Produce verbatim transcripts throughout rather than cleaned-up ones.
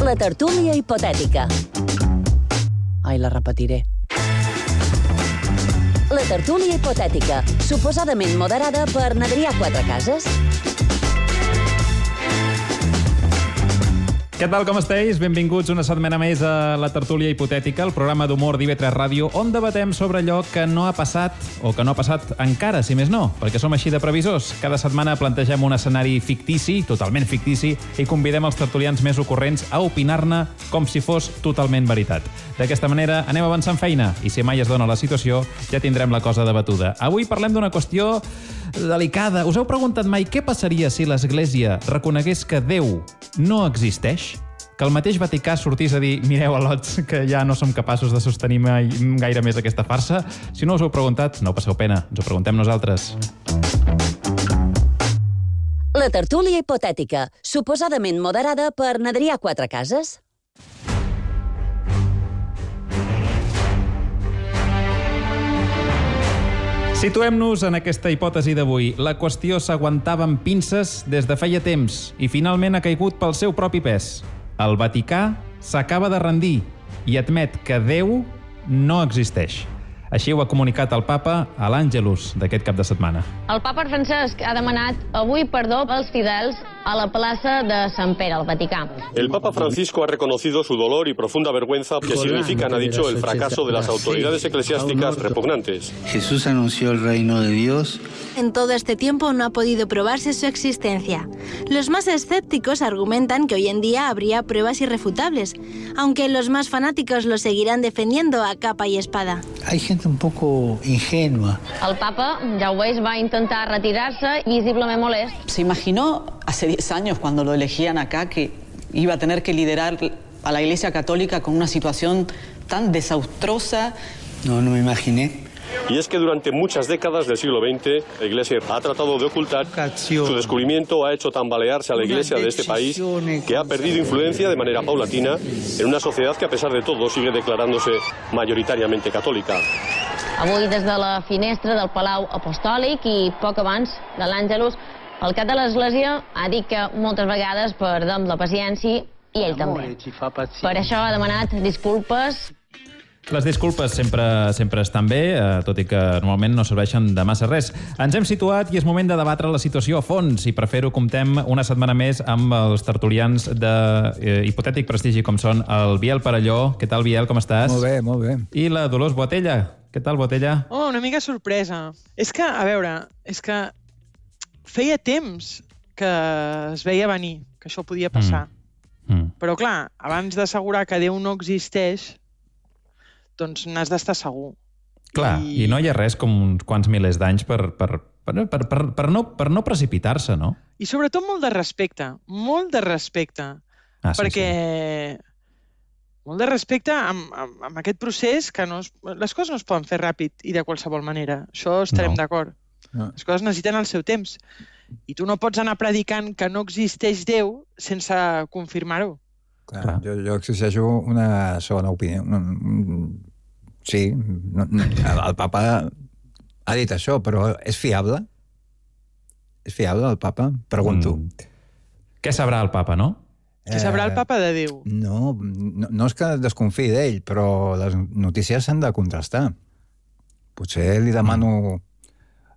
La tertúlia hipotètica. Ai, la repetiré. La tertúlia hipotètica, suposadament moderada per n'Adrià Quatrecases. Què tal, com esteu? Benvinguts una setmana més a La tertúlia hipotètica, el programa d'humor d'I V tres Ràdio, on debatem sobre allò que no ha passat o que no ha passat encara, si més no, perquè som així de previsors. Cada setmana plantegem un escenari fictici, totalment fictici, i convidem els tertulians més ocorrents a opinar-ne com si fos totalment veritat. D'aquesta manera anem avançant feina, i si mai es dona la situació, ja tindrem la cosa debatuda. Avui parlem d'una qüestió delicada. Us heu preguntat mai què passaria si l'Església reconegués que Déu no existeix? Que el mateix Vaticà sortís a dir mireu, al·lots, que ja no som capaços de sostenir mai, gaire més aquesta farsa? Si no us ho heu preguntat, no passeu pena, ens ho preguntem nosaltres. La tertúlia hipotètica, suposadament moderada per n'Adrià Quatrecases. Situem-nos en aquesta hipòtesi d'avui. La qüestió s'aguantava amb pinces des de feia temps i finalment ha caigut pel seu propi pes. El Vaticà s'acaba de rendir i admet que Déu no existeix. Així ho ha comunicat el papa a l'Àngelus d'aquest cap de setmana. El papa Francesc ha demanat avui perdó als fidels a la plaça de Sant Pere, al Vaticà. El Papa Francisco ha reconocido su dolor y profunda vergüenza que significan, ha dicho, el fracaso de las autoridades eclesiásticas repugnantes. Jesús anunció el reino de Dios. En todo este tiempo no ha podido probarse su existencia. Los más escépticos argumentan que hoy en día habría pruebas irrefutables, aunque los más fanáticos lo seguirán defendiendo a capa y espada. Hay gente un poco ingenua. El papa, ja ho veus, va intentar retirar-se visiblement molest. ¿Se imaginó hace diez años cuando lo elegían acá que iba a tener que liderar a la Iglesia Católica con una situación tan desastrosa? No, no me imaginé. Y es que durante muchas décadas del siglo veinte, la Iglesia ha tratado de ocultar. Su descubrimiento ha hecho tambalearse a la Iglesia de este país, que ha perdido influencia de manera paulatina en una sociedad que, a pesar de todo, sigue declarándose mayoritariamente católica. Avui, des de la finestra del Palau Apostòlic i poc abans de l'Àngelus, el cap de l'Església ha dit que moltes vegades perdem la paciència i ell també. Per això ha demanat disculpes. Les disculpes sempre, sempre estan bé, eh, tot i que normalment no serveixen de massa res. Ens hem situat i és moment de debatre la situació a fons i per fer-ho comptem una setmana més amb els tertulians d'hipotètic eh, prestigi com són el Biel Parelló. Què tal, Biel, com estàs? Molt bé, molt bé. I la Dolors Boatella. Què tal, Boatella? Oh, una mica sorpresa. És que, a veure, és que feia temps que es veia venir, que això podia passar. Mm. Mm. Però, clar, abans d'assegurar que Déu no existeix, doncs n'has d'estar segur. Clar, i... i no hi ha res com uns quants milers d'anys per, per, per, per, per, per no, per no precipitar-se, no? I sobretot molt de respecte, molt de respecte. Ah, sí, perquè sí. molt de respecte amb, amb, amb aquest procés que no es, les coses no es poden fer ràpid i de qualsevol manera. Això estarem No. d'acord. No. Les coses necessiten el seu temps. I tu no pots anar predicant que no existeix Déu sense confirmar-ho. Clar, Clar. Jo, jo exigeixo una segona opinió. Un, un, sí, no, no, el, el papa ha dit això, però és fiable? És fiable el papa? Pregunto. Mm. Què sabrà el papa, no? Què sabrà el papa de Déu? No, no, no és que desconfiï d'ell, però les notícies s'han de contrastar. Potser li demano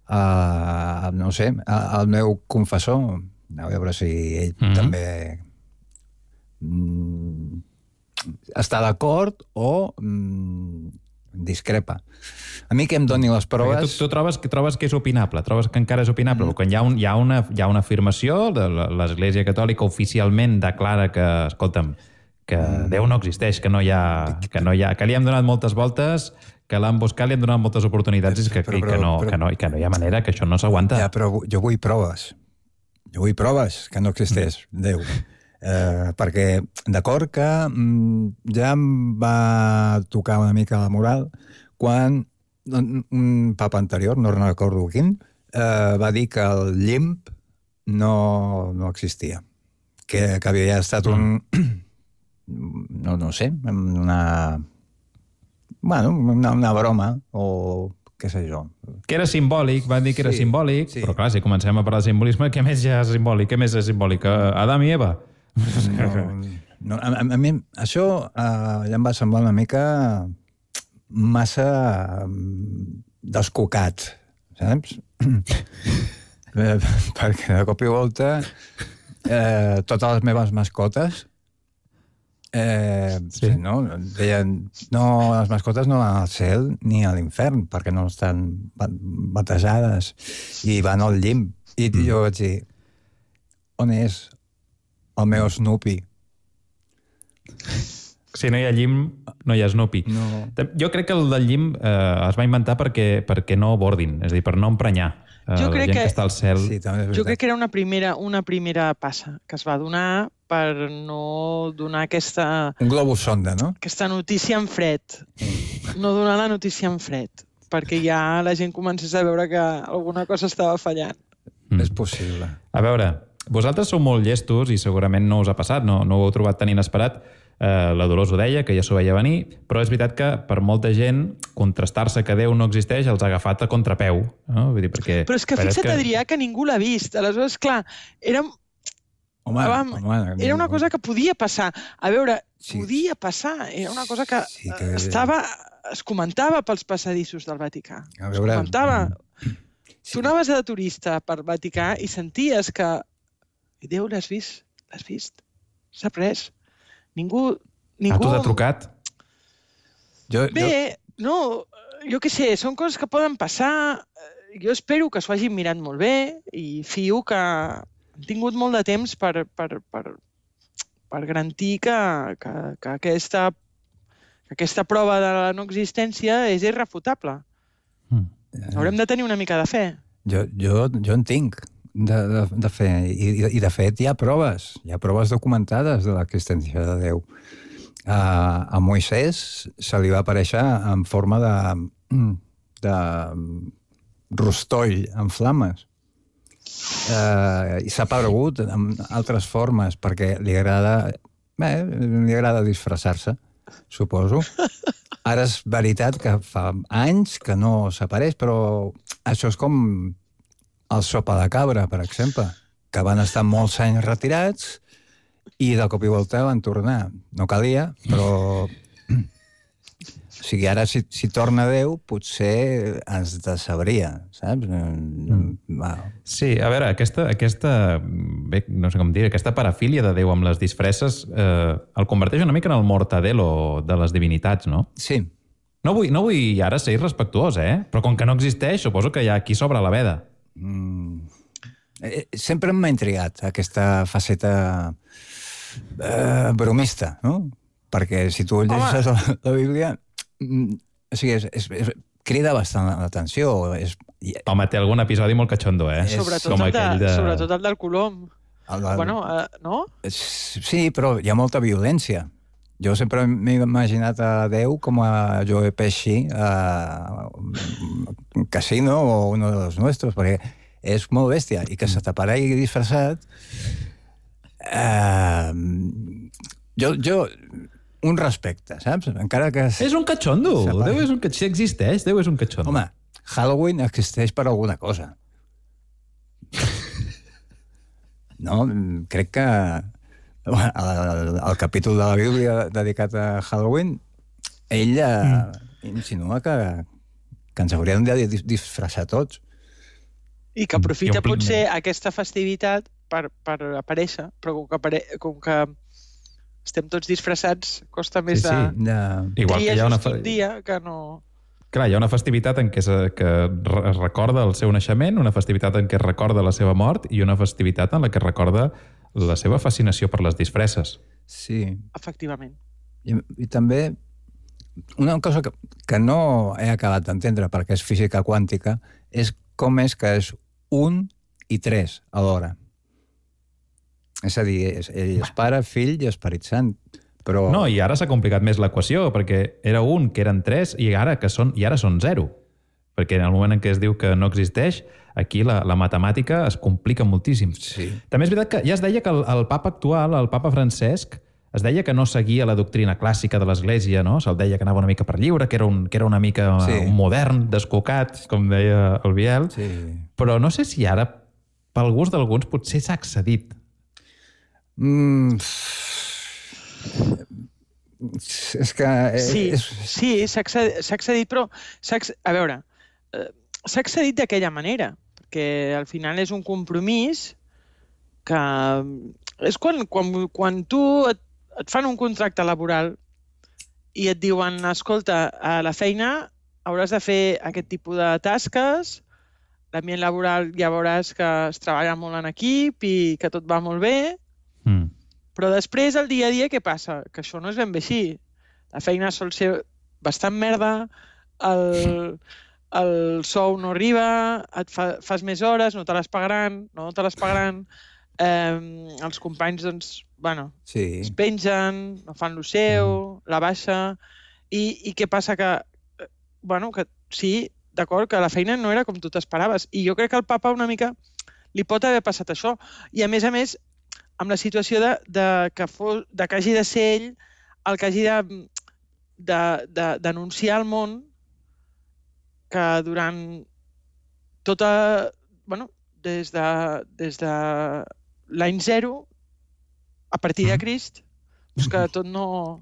a, no sé, a, al meu confessor, a veure si ell Mm. també mm, està d'acord o mm, discrepa. A mi que em doni les proves... Perquè tu, tu trobes, que trobes que és opinable, trobes que encara és opinable, mm. quan hi ha, un, hi, ha una, hi ha una afirmació de l'Església Catòlica oficialment declara que, escolta'm, que mm. Déu no existeix, que no hi ha, que no hi ha, que li hem donat moltes voltes, que l'han buscat, li hem donat moltes oportunitats i que, Però, i que, però, no, però- que, no, i que no hi ha manera, que això no s'aguanta. Ja, però jo vull proves. Jo vull proves que no existeix Déu. Eh, perquè, d'acord que mm, ja em va tocar una mica la moral quan un, un papa anterior, no recordo quin, eh, va dir que el llimp no, no existia. Que, que havia estat un... no, no sé, una... Bueno, una, una broma o què sé jo. Que era simbòlic, van dir que era Sí, simbòlic, sí. però clar, si comencem a parlar de simbolisme, què més ja és simbòlic? Què més és simbòlic? Adam i Eva? No, No, a, a, a mi això uh, ja em va semblar una mica massa um, descocat, saps? eh, perquè de cop i volta eh, totes les meves mascotes eh, sí. no, deien, no, les mascotes no van al cel ni a l'infern perquè no estan batejades i van al llim. I mm. jo vaig dir, on és el meu Snoopy? Si no hi ha llim, no hi ha Snoopy. No. Jo crec que el del llim eh, es va inventar perquè, perquè no bordin, és a dir, per no emprenyar eh, jo la gent que, que està al cel. Sí, jo crec que era una primera, una primera passa que es va donar per no donar aquesta... Un globus sonda, no? Aquesta notícia en fred. No donar la notícia en fred, perquè ja la gent comencés a veure que alguna cosa estava fallant. Mm. És possible. A veure, vosaltres sou molt llestos i segurament no us ha passat, no, no ho heu trobat tan inesperat. Uh, la Dolors ho deia, que ja s'ho veia venir, però és veritat que per molta gent contrastar-se que Déu no existeix els ha agafat a contrapeu. No? Vull dir, perquè, però és que fixa't, que... Adrià, que ningú l'ha vist. Aleshores, clar, era... Home, Vam, home, era una cosa que podia passar. A veure, sí. podia passar. Era una cosa que, sí, que... estava... es comentava pels passadissos del Vaticà. A veure... Es comentava... Sí. Tu anaves de turista per Vaticà i senties que... Déu, l'has vist? L'has vist? S'ha pres. Ningú... ningú... Ah, tu t'ha trucat? Jo, Bé, jo... no, jo què sé, són coses que poden passar. Jo espero que s'ho hagin mirat molt bé i fio que han tingut molt de temps per, per, per, per garantir que, que, que, aquesta, que aquesta prova de la no existència és irrefutable. Mm. Haurem de tenir una mica de fe. Jo, jo, jo en tinc. De, de, de fe. I, I, de fet, hi ha proves. Hi ha proves documentades de l'existència de Déu. A, a Moisès se li va aparèixer en forma de, de rostoll en flames. Uh, I s'ha aparegut en altres formes perquè li agrada... Bé, li agrada disfressar-se, suposo. Ara és veritat que fa anys que no s'apareix, però això és com... el sopa de cabra, per exemple, que van estar molts anys retirats i de cop i volta van tornar. No calia, però... O sigui, ara si, si torna Déu, potser ens decebria, saps? Mm. Sí, a veure, aquesta, aquesta, bé, no sé com dir, aquesta parafília de Déu amb les disfresses eh, el converteix una mica en el mortadelo de les divinitats, no? Sí. No vull, no vull ara ser irrespectuós, eh? Però com que no existeix, suposo que hi ha qui s'obre la veda. Mm. Eh, sempre m'ha intrigat aquesta faceta eh, bromista, no? Perquè si tu llegeixes la, la Bíblia, mm, o sigui, és, és, és, crida bastant l'atenció. És... Home, té algun episodi molt catxondo, eh? És... Sobretot, el de, de... sobretot el del Colom. El del... Bueno, eh, no? Sí, però hi ha molta violència. Jo sempre m'he imaginat a Déu com a Joe Pesci a un casino o uno de los nuestros, perquè és molt bèstia, i que se t'aparegui disfressat... Eh, jo, jo, un respecte, saps? Encara que... És un catxondo, Déu és un catxondo, si existeix, Déu és un catxondo. Home, Halloween existeix per alguna cosa. No, crec que... El, el capítol de la Bíblia dedicat a Halloween, ell mm. insinua que, que ens hauríem de disfressar tots. I que aprofita potser aquesta festivitat per, per aparèixer, però com que, apare... com que estem tots disfressats, costa més sí, sí, de ja. Triar just una... un dia que no... Clar, hi ha una festivitat en què, es, que es recorda el seu naixement, una festivitat en què es recorda la seva mort i una festivitat en la que es recorda la seva fascinació per les disfresses. Sí. Efectivament. I, i també una cosa que, que no he acabat d'entendre perquè és física quàntica és com és que és un i tres alhora. És a dir, és, és pare, fill i Esperit Sant. Però... No, i ara s'ha complicat més l'equació, perquè era un, que eren tres, i ara que són, i ara són zero. Perquè en el moment en què es diu que no existeix, aquí la, la matemàtica es complica moltíssim. Sí. També és veritat que ja es deia que el, el papa actual, el papa Francesc, es deia que no seguia la doctrina clàssica de l'Església, no? Se'l deia que anava una mica per lliure, que era un, que era una mica sí. un modern, descocat, com deia el Biel. Sí. Però no sé si ara, pel gust d'alguns, potser s'ha accedit. Mm... És que... Sí, és... sí s'ha accedit, però... A veure, s'ha accedit d'aquella manera, perquè al final és un compromís que... És quan, quan, quan tu et, et fan un contracte laboral i et diuen, escolta, a la feina hauràs de fer aquest tipus de tasques, l'ambient laboral ja veuràs que es treballa molt en equip i que tot va molt bé, mm. però després, el dia a dia, què passa? Que això no és ben bé així. La feina sol ser bastant merda, el, el sou no arriba, et fa, fas més hores, no te les pagaran, no te les pagaran, eh, els companys, doncs, bueno, sí. es pengen, no fan lo seu, mm. la baixa, i, i què passa? Que, bueno, que sí, d'acord, que la feina no era com tu t'esperaves. I jo crec que al papa una mica li pot haver passat això. I a més a més, amb la situació de, de, que, fos, de que hagi de ser ell el que hagi de, de, de denunciar al món que durant tota... Bueno, des de, des de l'any zero, a partir de Crist, doncs que tot no...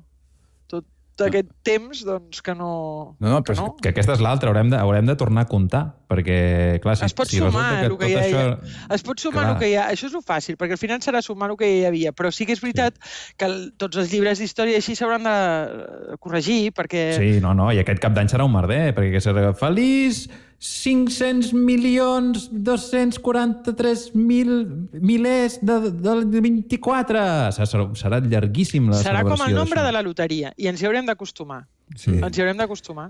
d'aquest temps, doncs, que no... No, no, però que, no? que aquesta és l'altra, haurem, de, haurem de tornar a comptar, perquè, clar, si, es pot si sumar resulta que el que tot ja això... Hi ha. Es pot sumar el que hi ha. Això és el fàcil, perquè al final serà sumar el que hi havia, però sí que és veritat sí. que el, tots els llibres d'història així s'hauran de corregir, perquè... Sí, no, no, i aquest cap d'any serà un merder, perquè serà feliç cinc-cents milions dos-cents quaranta-tres mil milers de, de, de vint-i-quatre. Serà, serà llarguíssim la serà celebració. Serà com el nombre de la loteria, i ens hi haurem d'acostumar. Sí. Ens hi haurem d'acostumar.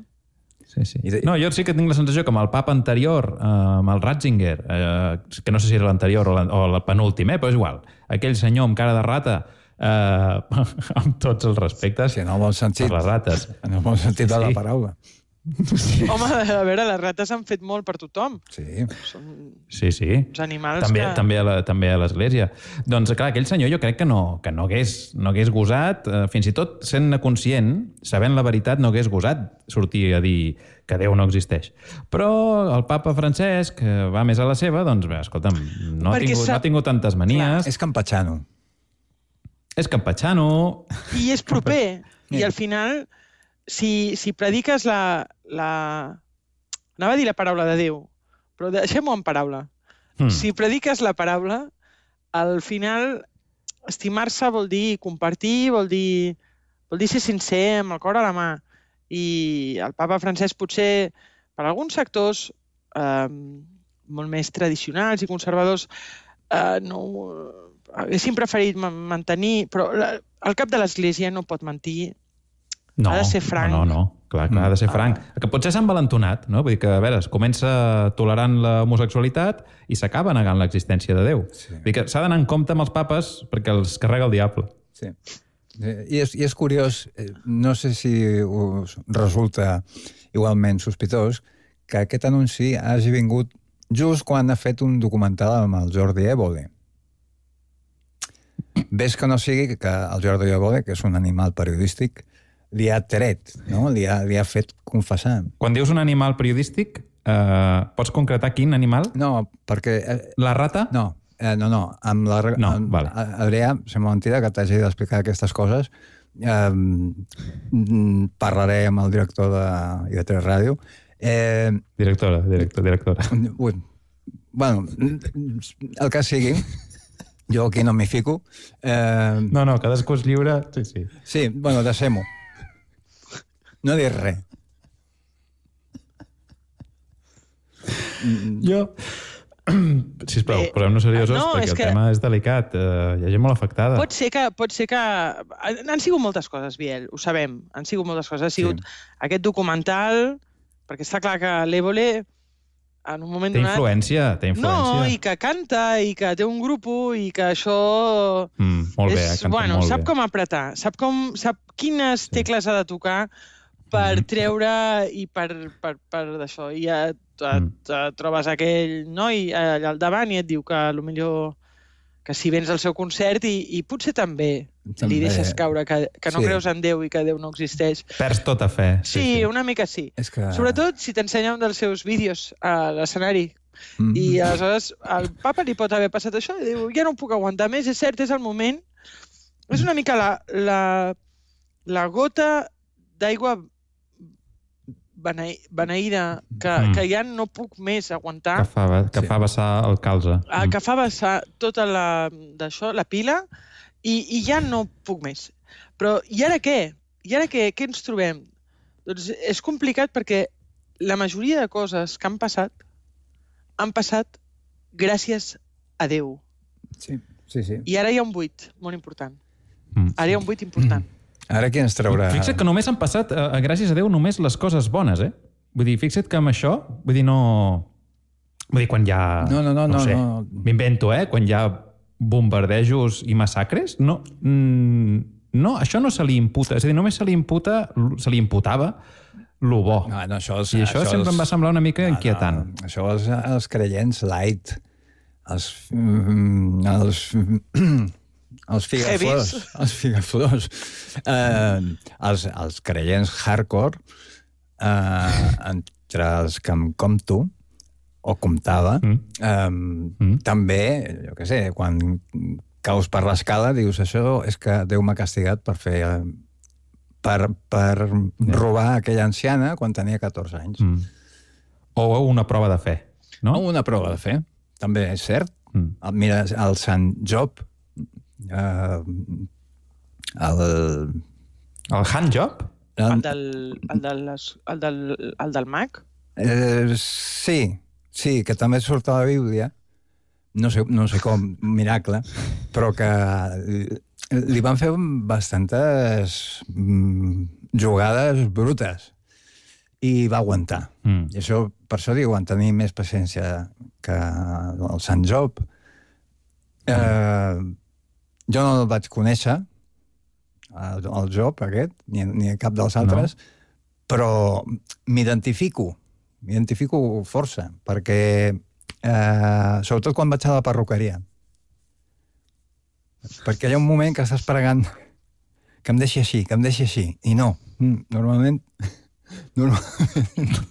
Sí, sí. No, jo sí que tinc la sensació que amb el papa anterior, eh, amb el Ratzinger, eh, que no sé si era l'anterior o, o el penúltim, eh, però és igual, aquell senyor amb cara de rata, eh, amb tots els respectes, sí, en el bon sentit, per les rates. En el bon sentit sí. de la paraula. Sí. Home, a veure, les rates han fet molt per tothom. Sí. Són sí, sí. uns animals també, que... També a, la, també a l'església. Doncs, clar, aquell senyor jo crec que no, que no hagués, no hagués gosat, eh, fins i tot sent conscient, sabent la veritat, no hagués gosat sortir a dir que Déu no existeix. Però el papa Francesc, que va més a la seva, doncs, bé, escolta'm, no ha, tingut, sap... no ha tingut tantes manies. Clar, és campatxano. És campatxano. I és proper. I al final... Si, si prediques la, la... Anava a dir la paraula de Déu, però deixem-ho en paraula. Mm. Si prediques la paraula, al final estimar-se vol dir compartir, vol dir, vol dir ser sincer, amb el cor a la mà. I el papa Francesc potser, per alguns sectors eh, molt més tradicionals i conservadors, eh, no, haguessin preferit mantenir... Però la, el cap de l'Església no pot mentir. No, ha de ser franc. No, no, no. Clar, clar, ha de ser franc. Que potser s'han valentonat, no? Vull dir que, a veure, es comença tolerant l'homosexualitat i s'acaba negant l'existència de Déu. Sí. Vull dir que s'ha d'anar en compte amb els papes perquè els carrega el diable. Sí. I és, i és curiós, no sé si us resulta igualment sospitós, que aquest anunci hagi vingut just quan ha fet un documental amb el Jordi Évole. Ves que no sigui que el Jordi Évole, que és un animal periodístic, li ha tret, no? Li ha, li ha fet confessar. Quan dius un animal periodístic, eh, pots concretar quin animal? No, perquè... Eh, la rata? No, eh, no, no. Amb la, no, amb, vale. Adrià, sembla mentida que t'hagi d'explicar aquestes coses. Eh, parlaré amb el director de I V tres Ràdio. Eh, directora, director, directora. Ui, bueno, el que sigui... Jo aquí no m'hi fico. Eh... No, no, cadascú és lliure. Sí, sí. Sí, bueno, deixem-ho. No dir res. Jo... Sisplau, posem-nos seriosos, no, perquè el que... tema és delicat. Uh, hi ha gent molt afectada. Pot ser que... Pot ser que... Han sigut moltes coses, Biel, ho sabem. Han sigut moltes coses. Ha sigut sí. aquest documental, perquè està clar que l'Évole... En un moment té donat... influència, té influència. No, i que canta, i que té un grup, i que això... Mm, molt bé, és, canta bueno, molt sap bé. com apretar, sap, com, sap quines sí. tecles ha de tocar per mm. treure i per, per, per d'això. I et, et, et trobes aquell noi allà al davant i et diu que potser que si vens al seu concert i, i potser també, també li deixes caure que, que no sí. creus en Déu i que Déu no existeix. Perds tota fe. Sí, sí, sí. una mica sí. És que... Sobretot si t'ensenya un dels seus vídeos a l'escenari. Mm. I aleshores al papa li pot haver passat això i diu, ja no puc aguantar més, és cert, és el moment És una mica la, la, la gota d'aigua beneïda que, mm. que ja no puc més aguantar. Que fa, que sí. fa vessar el calze. Ah, que fa vessar tota la, d'això, la pila, i, i ja no puc més. Però i ara què? I ara què, què ens trobem? Doncs és complicat perquè la majoria de coses que han passat han passat gràcies a Déu. Sí, sí, sí. I ara hi ha un buit molt important. Mm. Ara hi ha un buit important. Mm. Ara qui ens traurà... Fixa't que només han passat, a, a, gràcies a Déu, només les coses bones, eh? Vull dir, fixa't que amb això, vull dir, no... Vull dir, quan hi ha... No, no, no, no, no. sé, no. M'invento, eh? Quan hi ha bombardejos i massacres, no, no, això no se li imputa. És a dir, només se li imputa, se li imputava lo bo. No, no, això és, I això, això sempre és... em va semblar una mica no, inquietant. No, això és els creients light, els... els els figaflors, els figaflors, eh, els, els creients hardcore, eh, entre els que em compto, o comptava, mm. Eh, mm. també, jo què sé, quan caus per l'escala, dius, això és que Déu m'ha castigat per fer... per, per yeah. robar aquella anciana quan tenia catorze anys. Mm. O una prova de fe, no? O una prova de fe, també és cert. Mm. Mira, el Sant Job, Uh, el... El handjob? El del, el del, el del, el del mag? Eh, sí, sí, que també surt a la Bíblia. No sé, no sé com, miracle, però que li van fer bastantes jugades brutes i va aguantar. Mm. I això, per això diuen tenir més paciència que el Sant Job. Eh... Mm. Jo no el vaig conèixer, el, el Job aquest, ni, ni cap dels altres, no. Però m'identifico, m'identifico força, perquè eh, sobretot quan vaig a la perruqueria. Perquè hi ha un moment que estàs pregant que em deixi així, que em deixi així, i no. Normalment, normalment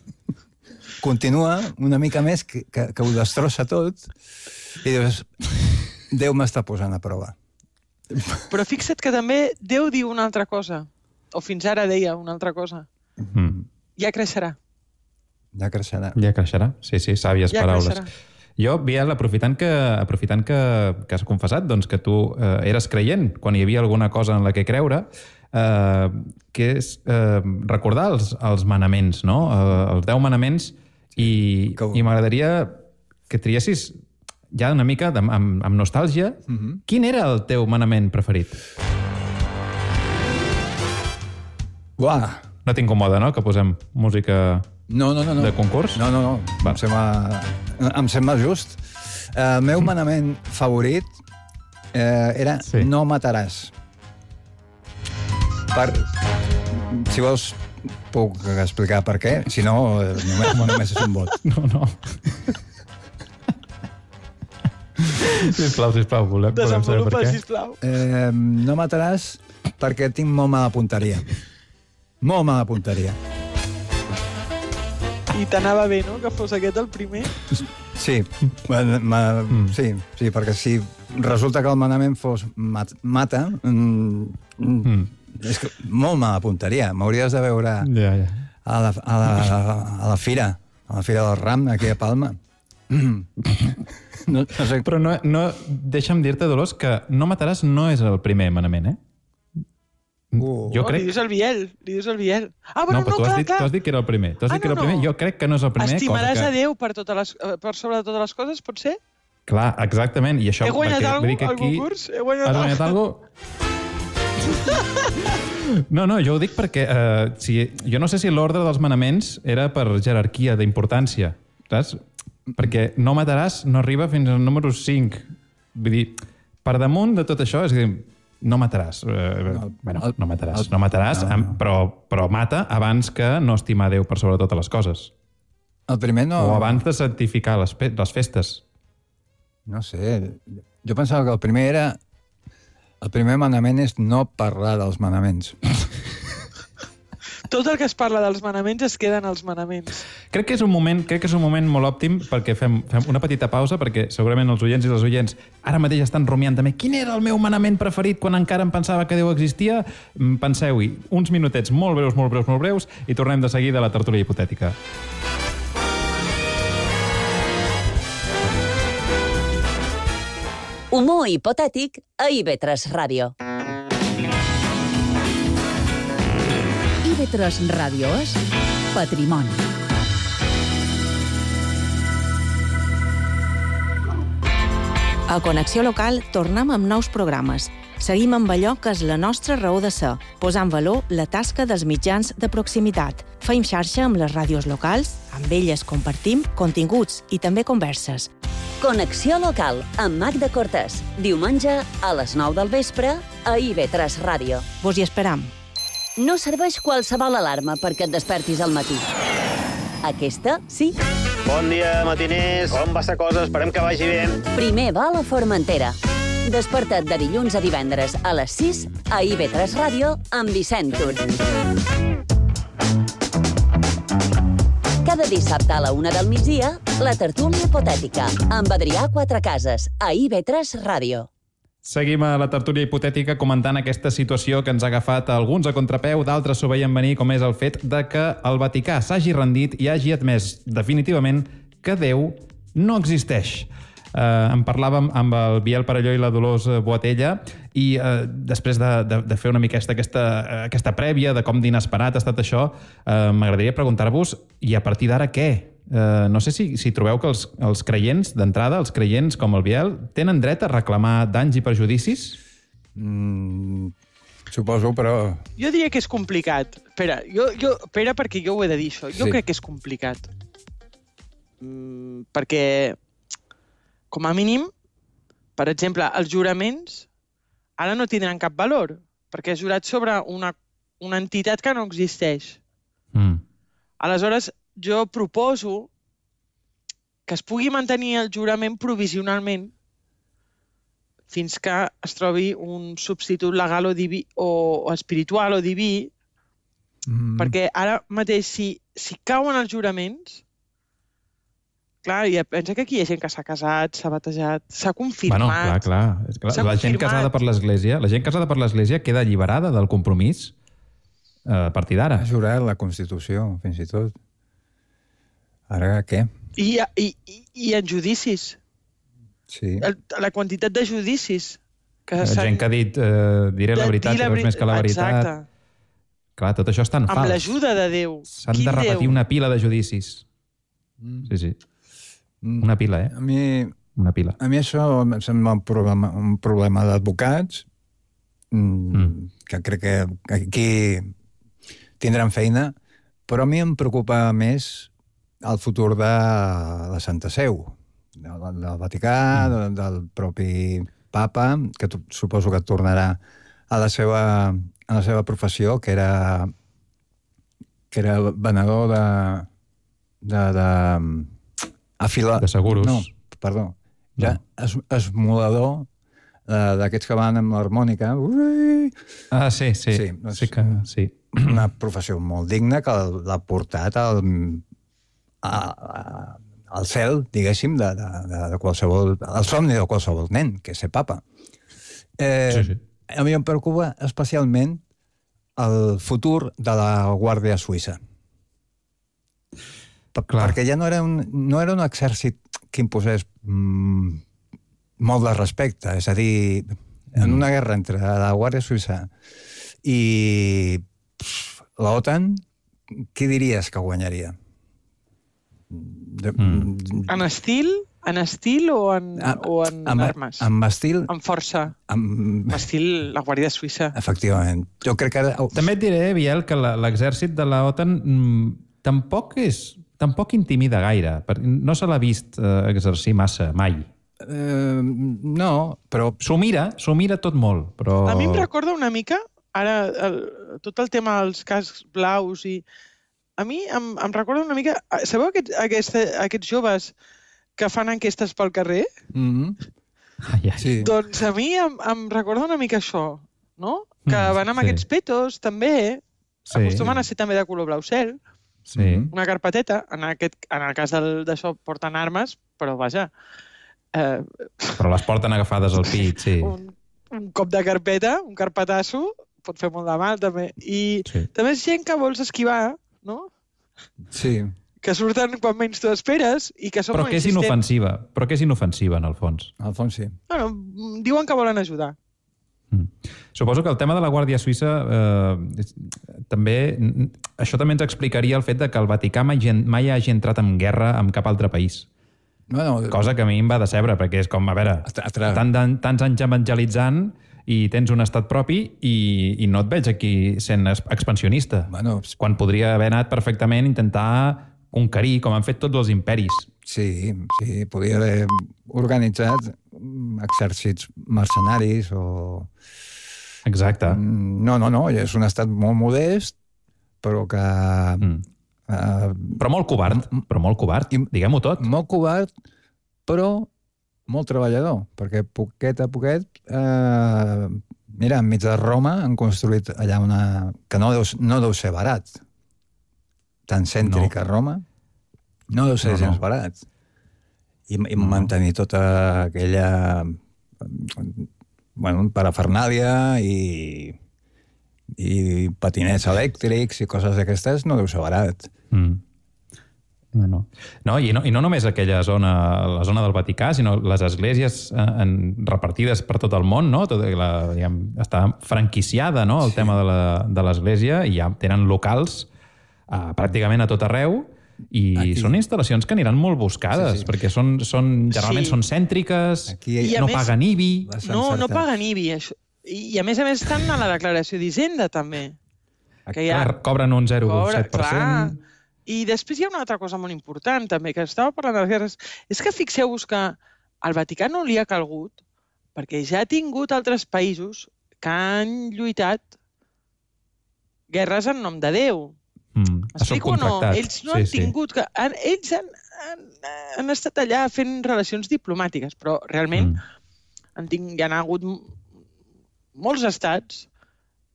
continua una mica més que, que, que ho destrossa tot i dius, Déu m'està posant a prova. Però fixa't que també Déu diu una altra cosa, o fins ara deia una altra cosa. Mm. Ja creixerà. Ja creixerà. Ja creixerà, sí, sí, sàvies ja paraules. Creixerà. Jo, Biel, aprofitant que, aprofitant que, que has confessat doncs, que tu eh, eres creient quan hi havia alguna cosa en la que creure, eh, que és eh, recordar els, els manaments, no? Eh, els deu manaments, i, que... i m'agradaria que triessis ja una mica amb, amb, amb nostàlgia, uh-huh. Quin era el teu manament preferit? Uah! No t'incomoda, no?, que posem música no, no, no, no. de concurs? No, no, no. Em sembla, em sembla just. El meu manament favorit eh, era sí. No mataràs. Per... Si vols, puc explicar per què. Si no, només, només és un vot. No, no. Sisplau, sisplau, volem, volem saber per què. Sisplau. Eh, no mataràs perquè tinc molt mala punteria. Molt mala punteria. I t'anava bé, no?, que fos aquest el primer? Sí, ma, ma, mm. sí, sí, perquè si resulta que el manament fos mat, mata, mm, mm. és que molt mala punteria. M'hauries de veure ja, ja. A, la, a, la, a la fira, a la fira del Ram, aquí a Palma. Mm. No, no sé. Però no, no, deixa'm dir-te, Dolors, que no mataràs no és el primer manament, eh? Uh. Jo crec... Li dius el Biel, li dius el Biel. Ah, bueno, no, però no, tu, clar, has dit, clar. tu has dit que era el primer. Tu has ah, dit que era no, el primer. no. Jo crec que no és el primer. Estimaràs cosa que... a Déu per, totes les, per sobre de totes les coses, pot ser? Clar, exactament. I això, he guanyat perquè, alguna cosa? Al concurs? He guanyat has guanyat alguna cosa? No, no, jo ho dic perquè uh, si, jo no sé si l'ordre dels manaments era per jerarquia d'importància, saps? Perquè no mataràs no arriba fins al número cinc. Vull dir, per damunt de tot això, és a dir, no mataràs. Uh, no, bueno, no mataràs. El, no mataràs, no, no. Però, però mata abans que no estimar Déu per sobre totes les coses. El primer no... O abans de santificar les, les festes. No sé. Jo pensava que el primer era... El primer manament és no parlar dels manaments. tot el que es parla dels manaments es queden als manaments. Crec que és un moment, crec que és un moment molt òptim perquè fem, fem una petita pausa, perquè segurament els oients i les oients ara mateix estan rumiant també quin era el meu manament preferit quan encara em pensava que Déu existia. Penseu-hi, uns minutets molt breus, molt breus, molt breus, i tornem de seguida a la tertúlia hipotètica. Humor hipotètic a I V tres Ràdio. I V tres Ràdio és Patrimoni. A Connexió Local tornem amb nous programes. Seguim amb allò que és la nostra raó de ser, posant en valor la tasca dels mitjans de proximitat. Feim xarxa amb les ràdios locals, amb elles compartim continguts i també converses. Connexió Local, amb Magda Cortés. Diumenge, a les nou del vespre, a I V tres Ràdio. Vos hi esperam. No serveix qualsevol alarma perquè et despertis al matí. Aquesta, sí. Bon dia, matiners. Com va la cosa? Esperem que vagi bé. Primer va a la Formentera. Desperta't de dilluns a divendres a les sis a I V tres Ràdio amb Vicent Tur. Cada dissabte a la una del migdia, la tertúlia hipotètica, amb Adrià Quatrecases, a I V tres Ràdio. Seguim a la tertúlia hipotètica comentant aquesta situació que ens ha agafat alguns a contrapeu, d'altres s'ho veien venir, com és el fet de que el Vaticà s'hagi rendit i hagi admès definitivament que Déu no existeix. Uh, en parlàvem amb el Biel Parelló i la Dolors Boatella i uh, després de, de, de fer una mica aquesta, aquesta prèvia de com d'inesperat ha estat això, uh, m'agradaria preguntar-vos, i a partir d'ara què? Uh, no sé si, si trobeu que els, els creients, d'entrada, els creients com el Biel, tenen dret a reclamar danys i perjudicis? Mm, suposo, però... Jo diria que és complicat. Espera, jo, jo, espera perquè jo ho he de dir, això. Jo sí. crec que és complicat. Mm, perquè... Com a mínim, per exemple, els juraments ara no tindran cap valor, perquè és jurat sobre una, una entitat que no existeix. Mm. Aleshores, jo proposo que es pugui mantenir el jurament provisionalment fins que es trobi un substitut legal o, diví, o, o espiritual o diví, mm. perquè ara mateix, si, si cauen els juraments... Clar, i pensa que aquí hi ha gent que s'ha casat, s'ha batejat, s'ha confirmat... Bueno, clar, clar. clar. La gent casada per l'Església, la gent casada per l'Església queda alliberada del compromís a partir d'ara. Ha jurat la Constitució, fins i tot. Ara què? I, i, i en judicis. Sí. El, la quantitat de judicis. Que la gent que ha dit eh, diré la veritat i res més que la veritat. Exacte. Clar, tot això és tan fals. Amb l'ajuda de Déu. S'han de repetir Déu? Una pila de judicis. Mm. Sí, sí. Una pila, eh? A mi, Una pila. a mi això em sembla un problema, un problema d'advocats, mm. que crec que aquí tindran feina, però a mi em preocupa més el futur de la Santa Seu, del, del Vaticà, mm. del, del propi papa, que suposo que tornarà a la seva, a la seva professió, que era, que era venedor de... de, de Afila... De seguros. No, perdó. Ja no. Es, esmolador uh, d'aquests que van amb l'harmònica. Ah, sí, sí. Sí, sí, que, sí. Una professió molt digna que l'ha portat al, a, a, al cel, diguéssim, de, de, de qualsevol... El somni de qualsevol nen, que és ser papa. Eh, sí, sí. A mi em preocupa especialment el futur de la Guàrdia Suïssa. Clar. Perquè ja no era, un, no era un exèrcit que imposés mm, molt de respecte. És a dir, en una guerra entre la Guàrdia Suïssa i l'OTAN, qui diries que guanyaria? De, mm. En estil? En estil o en, a, o en amb, armes? Amb estil... Amb força? Amb estil la Guàrdia Suïssa. Efectivament. Jo crec que... També et diré, Biel, que l'exèrcit de l'OTAN mm, tampoc és... Tampoc intimida gaire. No se l'ha vist eh, exercir massa, mai. Uh, no, però... S'ho mira, s'ho mira tot molt, però... A mi em recorda una mica, ara, el, tot el tema dels cascs blaus i... A mi em, em recorda una mica... Sabeu aquest, aquest, aquests joves que fan enquestes pel carrer? Mm-hmm. Ah, ja. Sí. Doncs a mi em, em recorda una mica això, no? Que mm, van amb sí. aquests petos, també, Sí. Acostumen a ser també de color blau cel. Sí. Una carpeteta, en, aquest, en el cas del, d'això porten armes, però vaja... Eh, Però les porten agafades al pit, sí. un, un cop de carpeta, un carpetasso, pot fer molt de mal, també. I Sí. també és gent que vols esquivar, no? Sí. Que surten quan menys t'ho esperes i que són Però molt que és insistents. inofensiva. Però que és inofensiva, en el fons. Al fons sí. Bueno, diuen que volen ajudar. Suposo que el tema de la Guàrdia Suïssa eh, també... Això també ens explicaria el fet de que el Vaticà mai, mai hagi entrat en guerra amb cap altre país. Bueno, Cosa que a mi em va decebre, perquè és com, a veure, tant, tants anys evangelitzant i tens un estat propi i, i no et veig aquí sent expansionista. Bueno, quan podria haver anat perfectament a intentar conquerir, com han fet tots els imperis. Sí, sí, podria haver organitzat exèrcits mercenaris o... Exacte. No, no, no, és un estat molt modest, però que... Mm. Uh, però molt covard, però molt covard, diguem-ho tot. Molt covard, però molt treballador, perquè poquet a poquet... Uh, mira, enmig de Roma han construït allà una... que no deu, no deu ser barat. Tan cèntrica no. Roma. No deu ser no, gens no. barat. I, i no. mantenir tota aquella... bueno, parafernàlia i, i patinets elèctrics i coses d'aquestes no deu ser barat. Mm. No, no. No, i no, i no només aquella zona, la zona del Vaticà, sinó les esglésies en, repartides per tot el món, no? Tot, la, diguem, està franquiciada, no? El sí. tema de l'església, i ja tenen locals uh, pràcticament a tot arreu, i aquí. Són instal·lacions que aniran molt buscades, sí, sí. perquè són, són, generalment sí. són cèntriques, aquí, no més, paguen I B I. No, no paguen I B I. Això. I a més a més estan a la declaració d'Hisenda, també. Que ja... Clar, cobren un zero coma set per cent. I després hi ha una altra cosa molt important, també, que estava parlant de les guerres. És que fixeu-vos que al Vaticà no li ha calgut, perquè ja ha tingut altres països que han lluitat guerres en nom de Déu. Mm, Explico o no? Ells no sí, han tingut... Sí. Que, han, ells han, han, han estat allà fent relacions diplomàtiques, però realment mm. han ting, hi ha hagut molts estats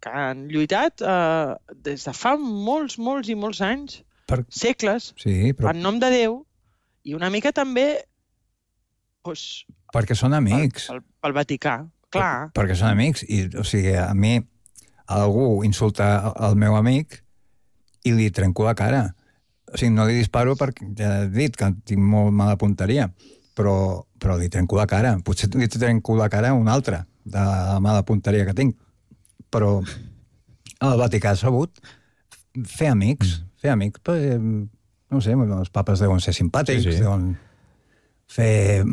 que han lluitat eh, des de fa molts, molts i molts anys, per... segles, sí, però... en nom de Déu, i una mica també... Doncs, perquè són amics. Pel, pel Vaticà, clar. Per, perquè són amics, i o sigui, a mi algú insulta el meu amic i li trenco la cara. O sigui, no li disparo perquè ja he dit que tinc molt mala punteria, però, però li trenco la cara. Potser li trenco la cara a un altre, de la mala punteria que tinc. Però el Vaticà ha sabut fer amics, mm. fer amics, perquè, no sé, els papes deuen ser simpàtics, sí, sí. deuen fer...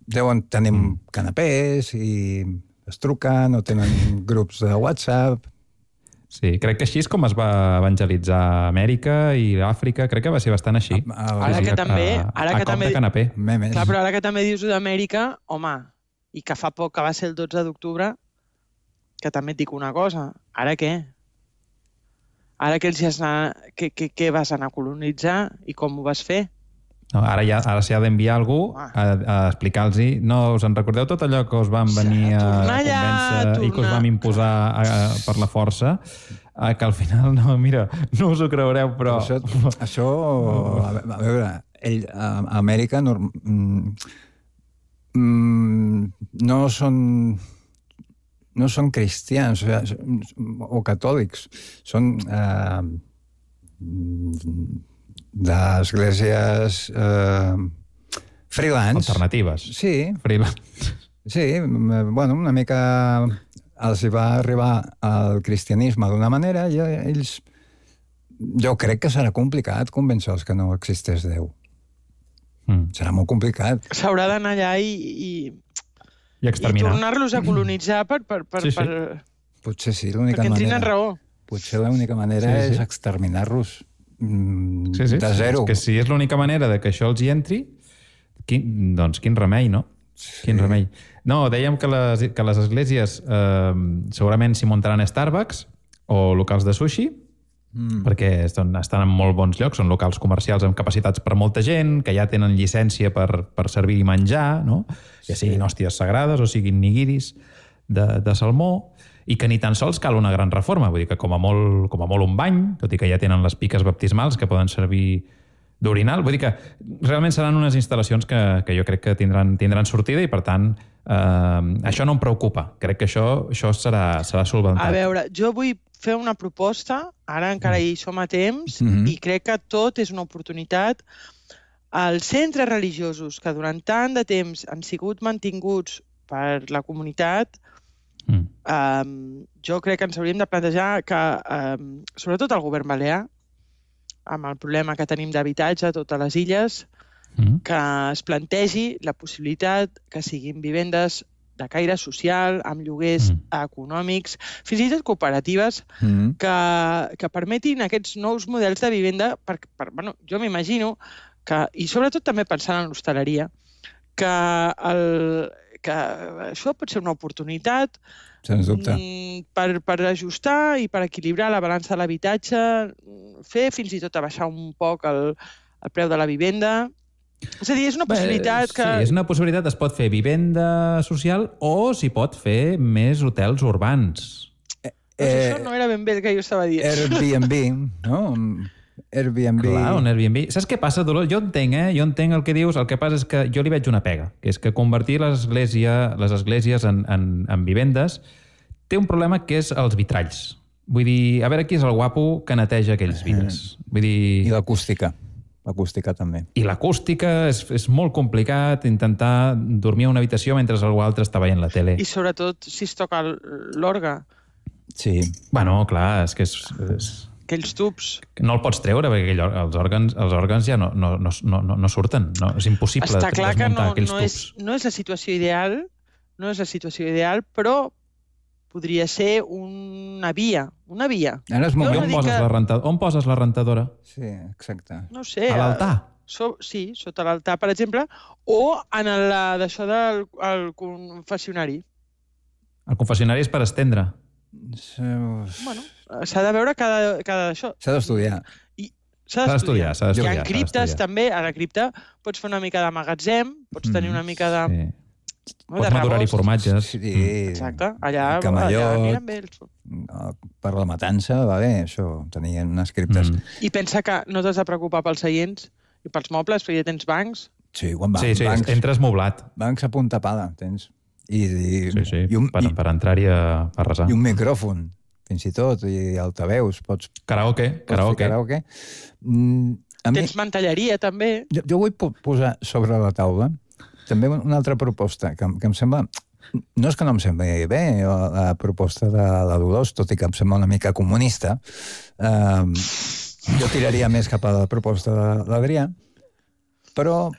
deuen tenir mm. canapés i es truquen o tenen grups de WhatsApp. Sí, crec que així és com es va evangelitzar Amèrica i Àfrica, crec que va ser bastant així. A, a, ara que també... Ara a, que a també, de canapé. Clar, però ara que també dius d'Amèrica, home, i que fa poc que va ser el dotze d'octubre, que també et dic una cosa, ara què? Ara que, els anar, que, que, que vas anar a colonitzar i com ho vas fer? No, ara ja ara s'ha d'enviar algú a, a explicar-los, no us en recordeu tot allò que us van venir a convèncer allà, i que us vam imposar a, a, per la força, a, que al final, no, mira, no us ho creureu, però... Això, això a, a veure, ell, a, a Amèrica no, mm, no són no són cristians o, sigui, o catòlics, són... Eh, d'esglésies eh, freelance. Alternatives. Sí. Freelance. Sí, bueno, una mica els hi va arribar al cristianisme d'una manera i ells... Jo crec que serà complicat convèncer-los que no existeix Déu. Mm. Serà molt complicat. S'haurà d'anar allà i... i... I exterminar. I tornar-los a colonitzar per... per, per, sí, sí. per... Potser sí, l'única manera... Perquè en tenen raó. Potser l'única manera sí, sí. és exterminar-los. Mm, sí, sí, de zero. És que si és l'única manera de que això els hi entri, quin, doncs quin remei, no? Sí. Quin remei. No, dèiem que les, que les esglésies eh, segurament s'hi muntaran Starbucks o locals de sushi, mm. perquè estan, estan en molt bons llocs, són locals comercials amb capacitats per molta gent, que ja tenen llicència per, per servir i menjar, no? Ja siguin sí. hòsties sagrades o siguin nigiris de, de salmó, i que ni tan sols cal una gran reforma. Vull dir que com a molt, com a molt un bany, tot i que ja tenen les piques baptismals que poden servir d'orinal. Vull dir que realment seran unes instal·lacions que, que jo crec que tindran, tindran sortida i, per tant, eh, això no em preocupa. Crec que això, això serà, serà solventat. A veure, jo vull fer una proposta, ara encara hi som a temps, Mhm. i crec que tot és una oportunitat. Els centres religiosos que durant tant de temps han sigut mantinguts per la comunitat, Mm. um, jo crec que ens hauríem de plantejar que, um, sobretot el govern balear, amb el problema que tenim d'habitatge a totes les illes, Mm. que es plantegi la possibilitat que siguin vivendes de caire social, amb lloguers Mm. econòmics, fins i tot cooperatives, Mm. que, que permetin aquests nous models de vivenda, per, per, bueno, jo m'imagino que, i sobretot també pensant en l'hostaleria, que, el, que això pot ser una oportunitat Sens dubte. mm, per, per ajustar i per equilibrar la balança de l'habitatge, fer fins i tot abaixar un poc el, el preu de la vivenda. És a dir, és una possibilitat que... Sí, és una possibilitat. Es pot fer vivenda social o s'hi pot fer més hotels urbans. Doncs això no era ben bé el que jo estava dient. Airbnb, no? Airbnb... Clar, un Airbnb. Saps què passa, Dolors? Jo entenc, eh? Jo entenc el que dius. El que passa és que jo li veig una pega, que és que convertir l'església, les esglésies en, en, en vivendes té un problema que és els vitralls. Vull dir, a veure qui és el guapo que neteja aquells vidres. Vull dir... I l'acústica. L'acústica també. I l'acústica és, és molt complicat, intentar dormir a una habitació mentre algú altre està veient la tele. I sobretot si es toca l'orgue. Sí. Bueno, clar, és que és... és... Aquells tubs. No el pots treure, perquè aquell, els, òrgans, els òrgans ja no, no, no, no, no surten. No, és impossible Està clar que no, aquells no, tubs. és, no és la situació ideal, no és la situació ideal, però podria ser una via, una via. Ara és I moment. on, poses que- la renta... on poses la rentadora? Sí, exacte. No ho sé. A l'altar? eh, So, sí, sota l'altar, per exemple, o en el, d'això del el confessionari. El confessionari és per estendre. Bueno, s'ha de veure cada, cada d'això. S'ha d'estudiar. S'ha S'ha d'estudiar, s'ha d'estudiar, Hi s'ha ha criptes, d'estudiar. també. A la cripta pots fer una mica de magatzem, pots tenir una mica de... Sí. no, Pots de madurar-hi rebost. formatges. Sí. Exacte. Allà, allà Camallot. aniran bé els... No, per la matança va bé, això. Tenien unes criptes. Mm. I pensa que no t'has de preocupar pels seients i pels mobles, perquè ja tens bancs. Sí, quan va, Sí, sí, bancs, entres moblat. bancs a punta pala, tens. I, i, Sí, sí, i, un, per, i, per entrar-hi a, a resar. i un micròfon, fins i tot, i altaveus. Pots, Karaoke, pots fer karaoke. karaoke. Mm, a mi, Tens mantelleria, també. jo, jo vull po- posar sobre la taula també una altra proposta que, em- que em sembla... No és que no em sembli bé la, la proposta de la Dolors, tot i que em sembla una mica comunista. Um, jo tiraria més cap a la proposta de l'Adrià, però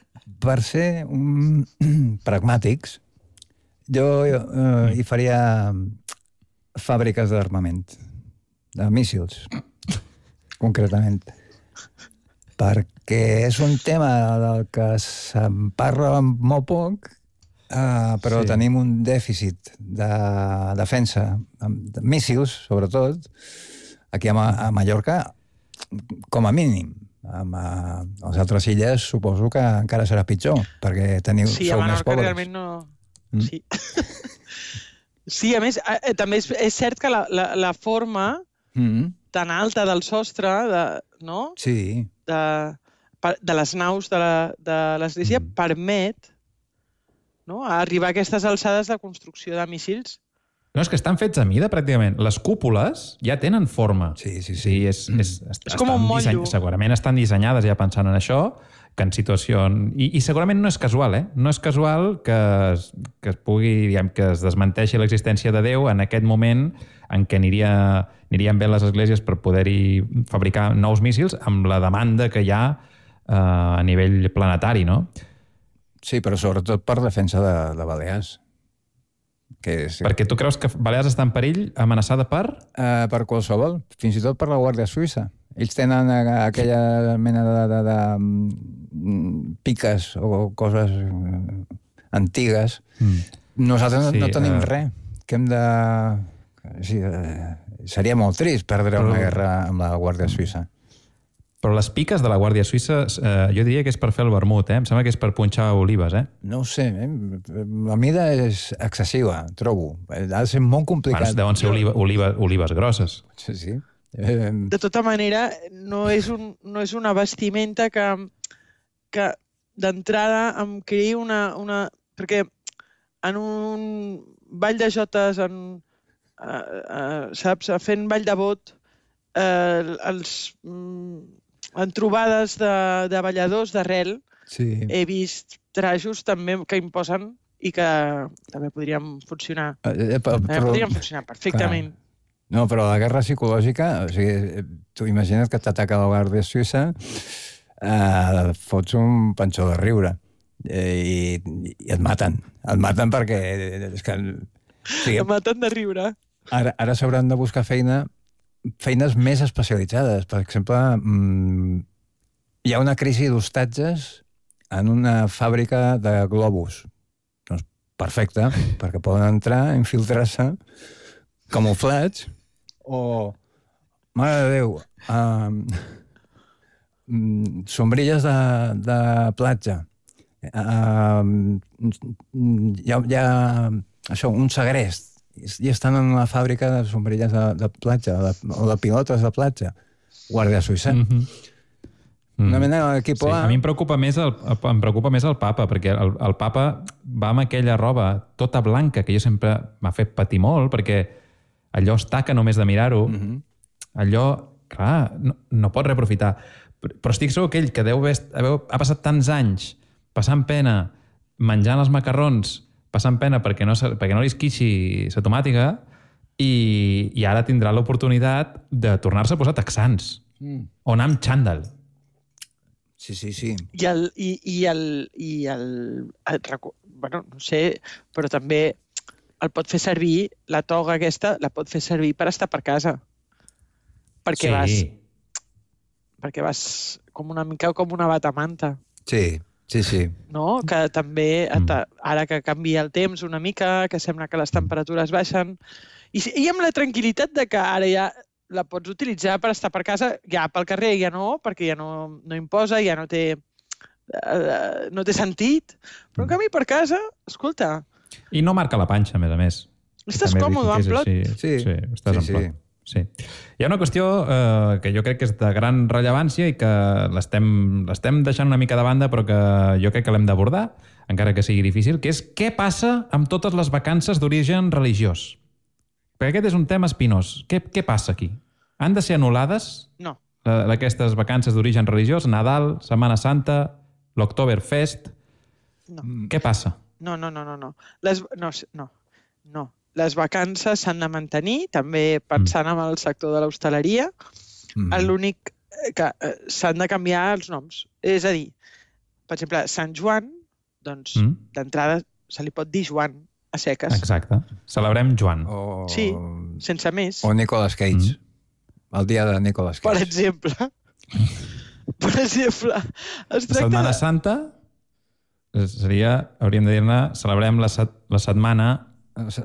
per ser um, pragmàtics, jo uh, hi faria fàbriques d'armament, de míssils, concretament. Perquè és un tema del que se'n parla molt poc, uh, però Sí. sí. tenim un dèficit de defensa, de míssils, sobretot, aquí a, Ma a Mallorca, com a mínim. Amb uh, les altres illes suposo que encara serà pitjor, perquè teniu, Sí, a sou més Menorca pobres. realment no... Mm. Sí. Sí, a més, eh, també és, és cert que la, la, la forma Mm. tan alta del sostre, de, no? Sí. de, per- de les naus de la- de l'església Mm. permet, no? arribar a aquestes alçades de construcció de míssils. No, és que estan fets a mida, pràcticament. Les cúpules ja tenen forma. Sí, sí, sí. sí és, és, És com un estan motllo. Segurament estan dissenyades ja pensant en això, que en situació... I, I segurament no és casual, eh? No és casual que es, que es pugui, diguem, que es desmenteixi l'existència de Déu en aquest moment en què aniria, anirien bé les esglésies per poder-hi fabricar nous míssils amb la demanda que hi ha eh, a nivell planetari, no? Sí, però sobretot per defensa de, de Balears. Que és, Perquè tu creus que Balears està en perill, amenaçada per... Uh, per qualsevol, fins i tot per la Guàrdia Suïssa. Ells tenen uh, aquella mena de, de, de mm, piques o coses uh, antigues. Mm. Nosaltres Sí, no, no tenim eh, res. Que hem de... Sí, uh, seria molt trist perdre Però- una guerra amb la Guàrdia Suïssa. Però les piques de la Guàrdia Suïssa, eh, jo diria que és per fer el vermut, eh? Em sembla que és per punxar olives, eh? No ho sé, eh? La mida és excessiva, trobo. Ha de ser molt complicat. Bueno, deuen ser oliva, oliva, olives grosses. Sí, sí. Eh... De tota manera, no és, un, no és una vestimenta que, que d'entrada em creï una, una... Perquè en un ball de jotes, en, uh, uh, saps, fent ball de bot, uh, els... Um, en trobades de, de balladors d'arrel, sí. He vist trajos també que imposen i que també podrien funcionar. Eh, però, també podrien funcionar perfectament. Clar. No, però la guerra psicològica, o sigui, tu imagina't que t'ataca la Guàrdia Suïssa, eh, fots un panxó de riure eh, i, i et maten. Et maten perquè... És que, o sigui, et maten de riure. Ara, ara s'hauran de buscar feina feines més especialitzades. Per exemple, mmm, hi ha una crisi d'hostatges en una fàbrica de globus. Doncs perfecte, perquè poden entrar, infiltrar-se, camuflats, o, mare de Déu, um, sombrilles de, de platja. Um, hi ha, hi ha això, un segrest, i estan en una fàbrica de sombrilles de, de platja, o de, o de pilotes de platja. Guàrdia Suïssa. Mm -hmm. Una mena d'equip sí, A. A mi em preocupa més el, em preocupa més el papa, perquè el, el papa va amb aquella roba tota blanca, que jo sempre m'ha fet patir molt, perquè allò es taca només de mirar-ho. Mm -hmm. Allò, clar, no, no pot reaprofitar. Però estic segur que ell, que deu haver, ha passat tants anys passant pena, menjant els macarrons, passant pena perquè no, perquè no li esquixi la tomàtica i, i ara tindrà l'oportunitat de tornar-se a posar texans mm. o anar amb xandall. Sí, sí, sí. I el... I, i el, i el, el bueno, no sé, però també el pot fer servir, la toga aquesta, la pot fer servir per estar per casa. Perquè sí. vas... Perquè vas com una mica com una batamanta. Sí. Sí, sí. No? Que també, ara que canvia el temps una mica, que sembla que les temperatures baixen, i, i amb la tranquil·litat de que ara ja la pots utilitzar per estar per casa, ja pel carrer ja no, perquè ja no, no imposa, ja no té, uh, no té sentit, però en canvi per casa, escolta... I no marca la panxa, a més a més. Estàs còmode, en plot? Sí, sí, sí, estàs sí, en plot. Sí. Sí. Hi ha una qüestió eh, que jo crec que és de gran rellevància i que l'estem deixant una mica de banda, però que jo crec que l'hem d'abordar, encara que sigui difícil, que és què passa amb totes les vacances d'origen religiós? Perquè aquest és un tema espinós. Què, què passa aquí? Han de ser anul·lades? No. Aquestes vacances d'origen religiós, Nadal, Setmana Santa, l'Oktoberfest? No. Què passa? No, no, no, no. no. Les, no, no, no. Les vacances s'han de mantenir, també pensant en el sector de l'hostaleria. Mm. L'únic que eh, s'han de canviar els noms. És a dir, per exemple, Sant Joan, doncs, mm. d'entrada se li pot dir Joan a seques. Exacte. Celebrem Joan. O... Sí, sense més. O Nicolas Cage. Mm. El dia de Nicolas Cage. Per exemple. per exemple. Es tracta Setmana de... Santa seria, hauríem de dir-ne, celebrem la, set, la setmana